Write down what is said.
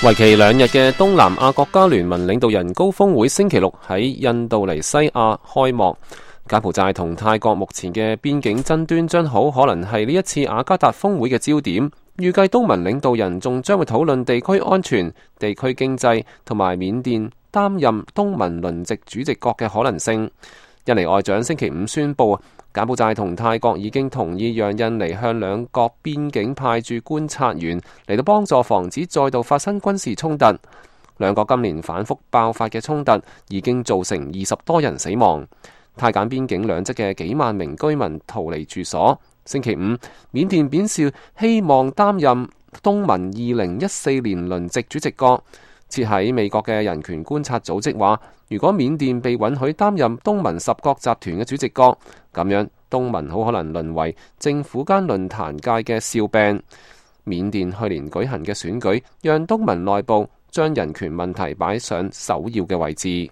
為期2日嘅東南亞國家聯盟領導人高峰會星期六喺印度尼西亞開幕。柬埔寨同泰國目前嘅邊境爭端將好可能係呢一次雅加達峰會嘅焦點。預計東盟領導人仲將會討論地區安全、地區經濟同埋緬甸擔任東盟輪值主席國嘅可能性。印尼外長星期5宣布，柬埔寨同泰國已經同意讓印尼向兩國邊境派駐觀察員嚟到幫助防止再度發生軍事衝突。兩國今年反覆爆發嘅衝突已經造成20多人死亡。泰柬邊境兩側嘅幾萬名居民逃離住所。星期5，緬甸表示希望擔任東盟2014年輪值主席國。設喺美國嘅人權觀察組織話，如果緬甸被允許擔任東盟10國集團嘅主席國，咁樣東盟好可能淪為政府間論壇界嘅笑柄。緬甸去年舉行嘅選舉，讓東盟內部將人權問題擺上首要嘅位置。